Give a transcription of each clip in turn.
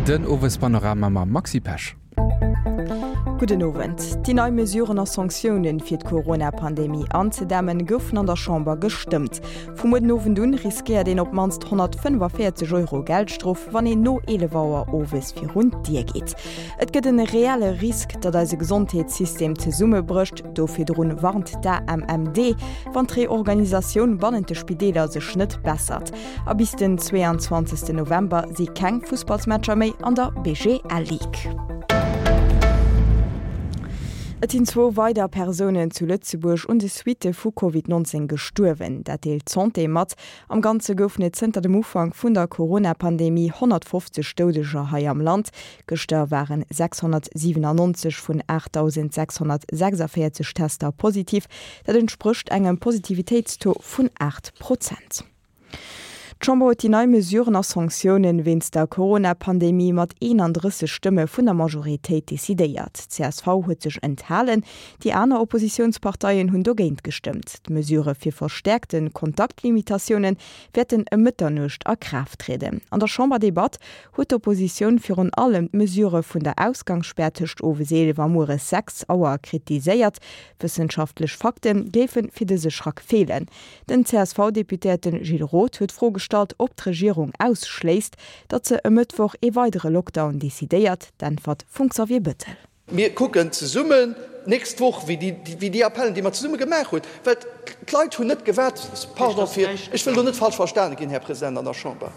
Den Owespanorama mam Maxi Pesch. Gudden Owend. Déi nei Mesuren a Sanktiounen, fir d'Corona-Pandemie anzedämmen, goufen an der Chamber gestëmmt. Vu muer den Owend un riskéiert een op d'mannst 145 Euro Geldstrof, wann een no 11 Auer owes virun d'Dier geet. Et gëtt en reelle Risk, datt eise Gesondheetssystem zesummebrécht. Do virdrun warnt d'AMMD, wann d'Reorganisatioun bannent de Spideeler sech net bessert. A bis den 22 November si keng Fussballsmatcher méi an der BGL Ligue. Et sinn zwou weider Persounen zu Lëtzebuerg un de Suitte vu Covid 19 gestuerwen. Dat deelt d'Santé mat. Am Ganze goufen et zënter dem Ufank vun der Corona-Pandemie 150 Doudeger hei am Land. Gëschter waren 697 vun 8.646 Tester positiv. Dat entsprécht engem Positivitéitstaux vun 8 Prozent. D'Chamber huet déi nei Mesuren a Sanktiounen wéinst der Corona-Pandemie mat 31 Stëmme vun der Majoritéit decidéiert. Csv huet sech enthalen, déi aner Oppositiounsparteien hunn dogéint gestëmmt. D'Mesurë fir verstäerkte Kontaktlimitatiounen wäerten ëm Mëtternuecht a Kraaft trieden. An der Chamberdebatt huet d'Oppositioun virun allem d'Mesurë vun der Ausgangsspär tëscht owes 11 a mueres 6 Auer kritiséiert. Wëssenschaftlech Fakte géife fir dëse Schrack feelen. Den CSV-Deputéierte Gilles Roth huet d'Fro gestallt, ob d'Regierung ausschléisst, datt se e Mëttwoch ee weidere Lockdown decidéiert. D'Äntwert vum Xavier Bettel. Mir kucken zesummen d'nächst Woch, wéi déi Appellen, déi mer zesumme gemaach hunn, well d'Leit hunn net gewaart, pardon fir, ech wëll do net falsch verstane ginn, Här President, an der Chamber.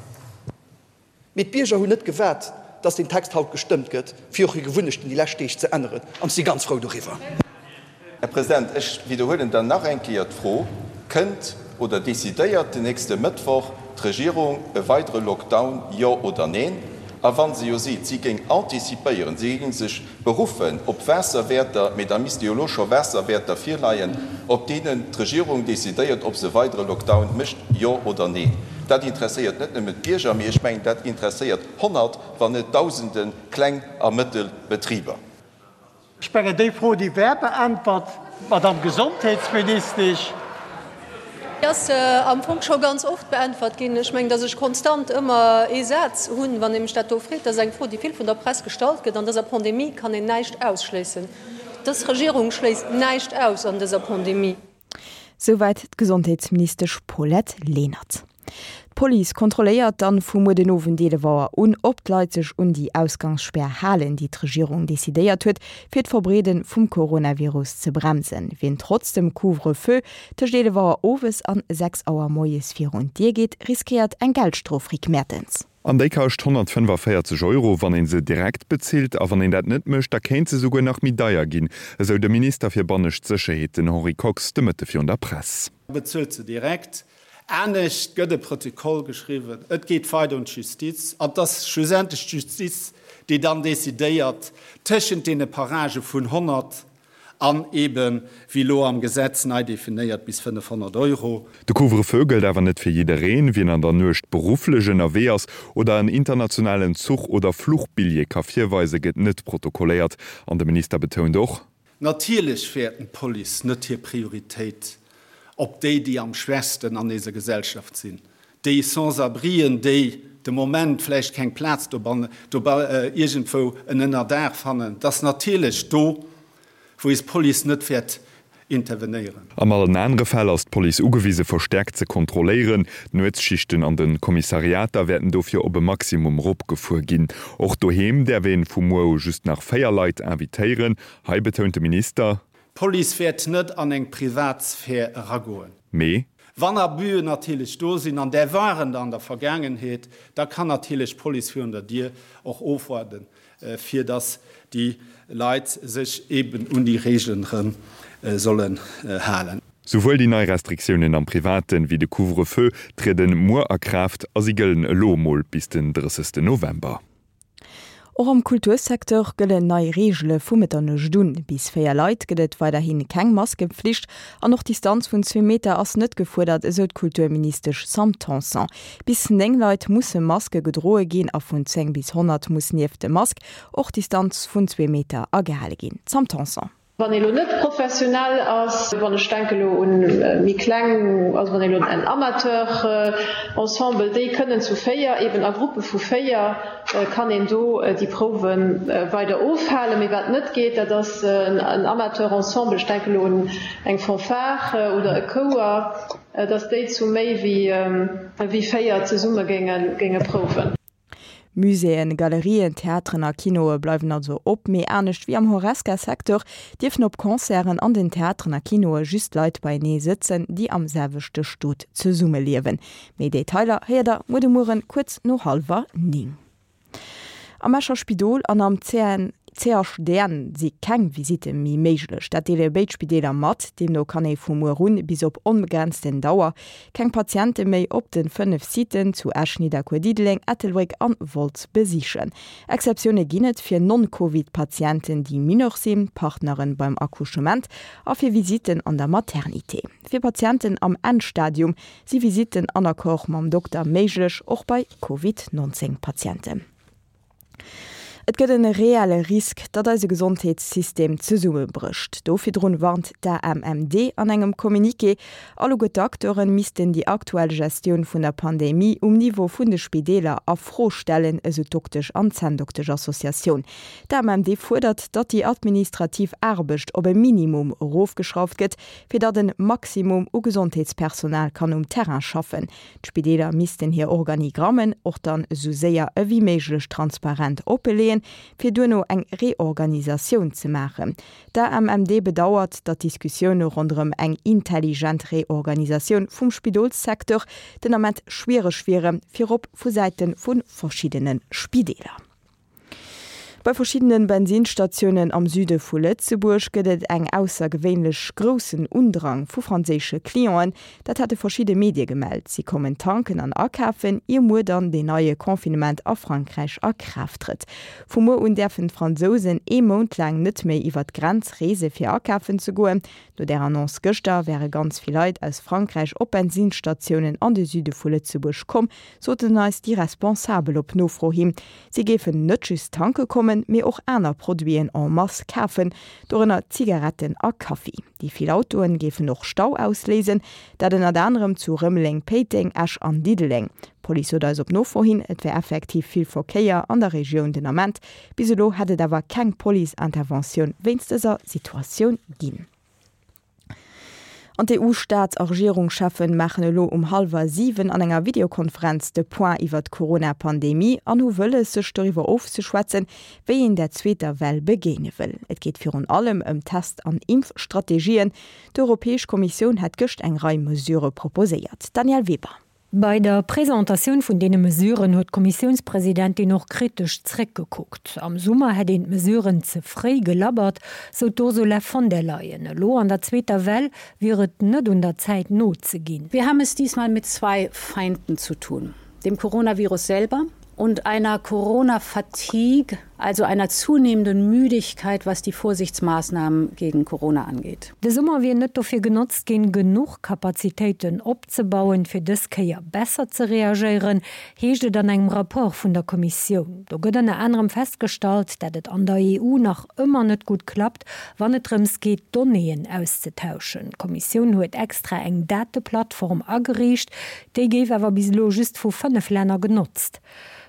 Mee d'Bierger hunn net gewaart, dass deen Text haut gestëmmt gëtt, fir och hir Gewunnechten déi lescht Deeg ze änneren, an ech si ganz frou doriwwer. Här President, ech widderhuelen dann nach eng Kéier d'Fro, Kënnt oder decidéiert den nächste Mëttwoch d'Regierung e weidere Lockdown, jo oder neen? A wa se jo seet, si géing anticipéieren, si géing sech Beruffen op Waasserwäerter, mee da misste jo elo scho Waasserwäerter virleien, op deenen d'Regierung decidéiert, ob se e weidere Lockdown mécht, jo oder neen. Dat interesséiert net nëmmen d'Bierger, mee ech mengen, dat interesséiert Honnert, wann net Dausende Kleng a Mëttelbetriber. Ech mengen, déi Fro, déi wär beäntwert, Madamm Gesondheetsministesch. Déi ass am Fong scho ganz oft beäntwert ginn. Ech mengen, datt ech konstant ëmmer ee Saz hunn, wann ee mech dat do freet. Dat ass eng Fro, déi vill vun der Press gestallt gëtt. An dëser Pandemie kann een näischt ausschléissen. Dës Regierung schléisst näischt aus an dëser Pandemie. Souwäit d'Gesondheetsministesch Paulette Lenert. D'Police kontrolléiert dann vu muer den Owend 11 Auer un, ob d'Leit sech un déi Ausgangsspär halen, déi d'Regierung decidéiert huet, fir d'Verbreede vum Coronavirus ze bremsen. Wien trotz dem Couvre-feu tëscht 11 Auer owes an 6 Auer moies virun d'Dier geet, riskéiert eng Geldstrof, Rick Mertens. An déi kascht 145 Euro, wann ee se direkt bezilt. A wann een dat net mécht, da kéint se souguer nach méi deier ginn, esou de Minister fir bannescht Sécherheet, den Henri Kox, de Mëtte virun der Press. Bezuelt se direkt. Anescht gëtt e Protokoll geschriwwen, et geet weider un d'Justiz an et ass schlussendlech d'Justiz, déi dann decidéiert tëschent deene Paragë vun 100 an eeben, wéi elo am Gesetz nei definéiert, bis 500 Euro. De Couvre-feu gëllt awer net fir jiddereen. Wien an der Nuecht berufflech ënnerwee ass oder en internationalen Zuch oder Fluchbilljee ka virweisen, gëtt net protokolléiert. An de Minister betount och. Natierlech wäerten d'Police net hir Prioritéit op déi, déi am schwächsten an eiser Gesellschaft sinn, déi Sans-abrien, déi de Moment vläicht keng Plaz dobannen, iergendwou en Ënnerdaach fannen, dass natierlech do, wou eis Police net wäert intervenéieren. An allen anere Fäll ass d'Police ugewise verstäerkt ze kontrolléieren. D'Nuetsschichten an de Kommissariater wäerten dofir op e Maximum eropgefuer ginn. Och doheem däerf een vu muer u just nach 4 Leit invitéieren. Hei betount de Minister. D'Police wäert net an eng Privatsphär eragoen. Mee. Wann Abusen natierlech do sinn, an där waren der an der Vergaangenheet, da kann natierlech d'Police virun der Dier och ofwaarden, fir dass déi Leit sech eeben un déi Regeln erëm sollen halen. Souwuel déi nei Restriktiounen am Privaten wéi de Couvre-feu trieden muer a Kraaft a si gëllen elo emol bis den 30. November. Och am Kultursecteur gëllen nei Reegele vu Mëtternuecht un. Bis 4 Leit gëtt et weiderhi keng Maskepflicht an och d'Distanz vun zwee Meter ass net gefuerdert, esou d'Kulturministesch Sam Tanson. Bis 9 Leit musse Maske gedroe ginn a vun 10 bis 100 muss nieft dem Mask och d'Distanz vun zwee Meter agehale ginn. Sam Tanson. Wann ee lo net professionell ass, wann ech denke lo un méi kleng, also wann ee lo en Amateur-Ensemble, déi kënnen zu 4, eben a Gruppe vu 4 kann een do déi Prouwe weider ofhalen. Mee wat net geet, dat ass en Amateur-Ensemble, ech denke lo un eng Fanfare oder e Chouer, datt déi zu méi wéi 4 zesumme géinge prouwen. Muséeën, Galerien, Theateren a Kinoe bleiwen also op, mee anescht wéi am Horesca-Secteur dierfen op Concerten an den Theateren a Kinoe just Leit beienee sëtzen, déi am selwechte Stot zesummeliewen. Méi Detailer héiert der muer de Mueren kuerz no hallwer 9. Am Escher Spidol an am CHDN si keng Visitte méi méiglech. Dat deele béid Spideeler mat. Deemno kann ee vu muer un bis op onbegrenzten Dauer keng Patiente méi op de 5 Siten zu Esch, Nidderkuer, Diddeleng, Ettelbréck an Wolz besichen. Exceptioune ginn et fir Non-Covid-Patienten, déi mineur sinn, Partneren beim Accouchement a fir Visitten an der Maternité. Fir Patienten am Endstadium si Visitten an Accord mam Dokter méiglech, och bei Covid 19 Patienten. Et gëtt en reelle Risk, datt eise Gesondheetssystem zesummebrécht. Do virdrun warnt d'AMMD an engem Communiqué. Alleguer d'Acteure missten déi aktuell Gestioun vun der Pandemie um Niveau vun de Spideeler a Fro stellen, esou d'Doktesch an Zänndoktesch-Associatioun. D'AMMD fuerdert, datt déi administrativ Aarbecht op e Minimum erofgeschrauft gëtt, fir datt en Maximum u Gesondheetspersonal kann um Terrain schaffen. D'Spideeler missten hir Organigrammen och dann esou séier ewéi méiglech transparent oppeleeën, fir duerno eng Reorganisatioun ze maachen. D'AMMD bedauert, datt d'Diskussioune ronderëm eng intelligent Reorganisatioun vum Spidolssecteur den Ament schwiereg wieren, virop vu Säite vu verschiddene Spideeler. Bei verschiddene Bensinsstatiounen am Süde vu Lëtzebuerg gëtt et eng aussergewéinlech groussen Undrang vu franséische Clienten. Dat hate verschidde Medie gemellt. Si kommen tanken an akafen, ier muer dann deen neie Confinement a Frankräich a Kraaft trëtt. Vu muer un däerfen d'Fransousen ee Mount laang net méi iwwer d'Grenz reese fir akafen ze goen. No där Annonce gëschter wäre ganz vill Leit aus Frankräich op Bensinsstatiounen an de Süde vu Lëtzebuerg komm, soten eis déi Responsabel op Nofro hin. Si géifen net just tanke kommen, mee och aner Produiten en masse kafen, dorënner Zigaretten a Kaffi. Déi vill Autoen géifen och Stau ausléisen, dat ënnert anerem zu Rëmeleng, Péiteng, Esch an Diddeleng. D'Police sot eis op Nofro hin, et wär effektiv vill Verkéier an der Regioun den Ament. Bis elo hätt et awer keng Police-Interventioun wéinst dëser Situatioun ginn. An d'EU-Staats a Regierungscheffe maachen elo um hallwer 7 an enger Videokonferenz de Point iwwer d'Corona-Pandemie an hu wëlles, sech doriwwer ofzeschwätzen, wéi een der zweeter Well begéine wëll. Et geet virun allem ëm Test an Impfstrategien. D'Europäesch Kommissioun hat gëscht eng Rei Mesurë proposéiert. Danièle Weber. Bei der Presentatioun vun deene Mesuren huet d'Kommissiounspresidentin och kritesch zréckgekuckt. Am Summer hätt een d'Mesuren ze fréi gelabbert, sou d'Ursula von der Leyen. Elo an der zweeter Well wier et net un der Zäit nozeginn. Wir haben es diesmal mit zwei Feinden zu tun, dem Coronavirus selber und einer Corona-Fatigue, also einer zunehmenden Müdigkeit, was die Vorsichtsmaßnahmen gegen Corona angeht. De Summer wier net dofir genotzt ginn, genuch Kapazitéiten opzebauen, fir dës Kéier besser ze reagéieren, heescht et an engem Rapport vun der Kommissioun. Do gëtt ënner anerem festgestallt, dat et an der EU nach ëmmer net gutt klappt, wann et drëms geet, Donnéeën auszetauschen. D'Kommissioun huet extra eng Dateplattform ageriicht, Déi géif awer bis elo just vu 5 Länner genotzt.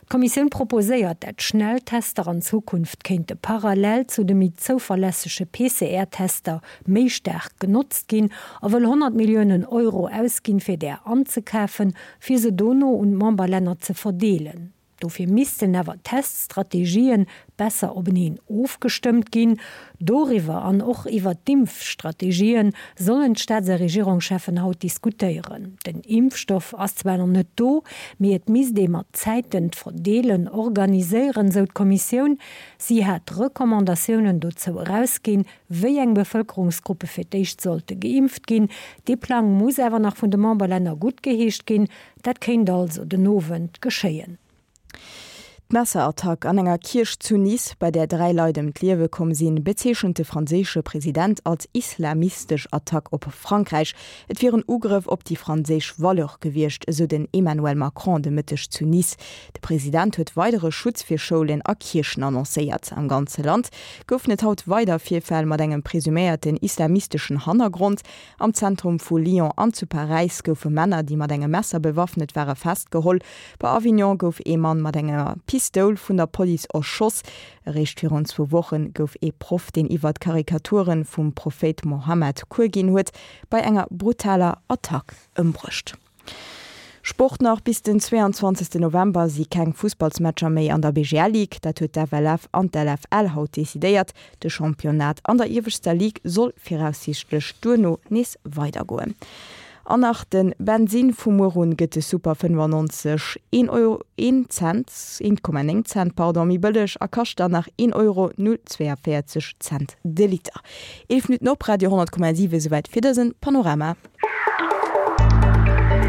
D'Kommissioun proposéiert, dat Schnelltester an Zukunft kéinte parallel zu de méi zouverlässege PCR-Tester méi staark genotzt ginn a wëll 100 Milliounen Euro ausginn, fir där anzekafen, fir se dono un d'Memberlänner ze verdeelen. Dofir missten awer d'Teststrategien besser openeen ofgestëmmt ginn. Doriwwer an och iwwer d'Impfstrategien sollen d'Staats a Regierungscheffen haut diskutéieren. Den Impfstoff ass zwar nach net do, mee et misst ee mat Zäiten d'Verdeelen organiséieren, sou d'Kommissioun. Si hat Recommandatiounen dozou erausginn, wéi eng Bevëlkerungsgruppe fir d'éischt sollte geimpft ginn. Dee Plang muss awer nach vun de Memberlänner guttgeheescht ginn. Dat kéint also den Owend geschéien. D'Messerattack an enger Kierch zu Nice, bei där 3 Leit ëm d'Liewe komm sinn, bezeechent de franséische President als islamistesch Attack op Frankräich. Et wier en Ugrëff op déi franséisch Valeure gewiescht, esou den Emmanuel Macron de Mëtteg zu Nice. De President huet weidere Schutz fir Schoulen a Kierchen annoncéiert. Am ganze Land goufen et haut weider Virfäll mat engem presuméierten islamisteschen Hannergrond. Am Zentrum vu Lyon an zu Paräis goufe Männer, déi mat engem Messer bewaffnet ware, festgeholl. Bei Avignon gouf ee Mann mat enger Pistoul vun der Police erschoss. Eréischt virun zwou Woche gouf ee Proff, deen iwwert Karikature vum Prophéit Mohammed Cours ginn huet, bei enger brutaler Attack ëmbruecht. Sport nach, Bis den 22 November si keng Fussballsmatcher méi an der BGL Ligue. Dat huet d'FLF an d'LFL haut decidéiert. De Championnat an der ieweschter Ligue soll viraussiichtlech duerno nees weidergoen. An nach de Bensinn, Vu muer un gëtt de Super 95 een Euro, een Cent, 1,9 Cent, pardon, méi bëlleg a kascht dann nach een Euro 0,42 Cent de Liter. 11 Minutten op Radio 10,7, esouwäit fir dësen Panorama.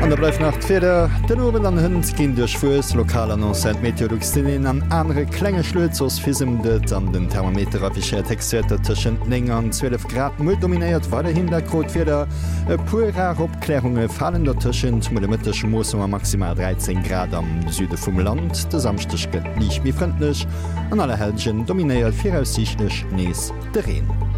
An da bleift nach d'Wieder, Den Owend an Hënt ginn duerchwuess. Lokal annoncéiert Meteolux den een an anere klenge Schluet, soss fisemt et an den Thermometer affichéiert Héchstwäerter tëschent 9 an 12 Grad. Muer dominéiert weiderhin dat grot Wieder, e puer rar Opklärunge falen dertëschent. Muer de Mëtteg moosse mer maximal 13 Grad am Süde vum Land. De Samschdeg gëtt liicht méi frëndlech, an Allerhellgen dominéiert viraussiichtlech nees de Reen.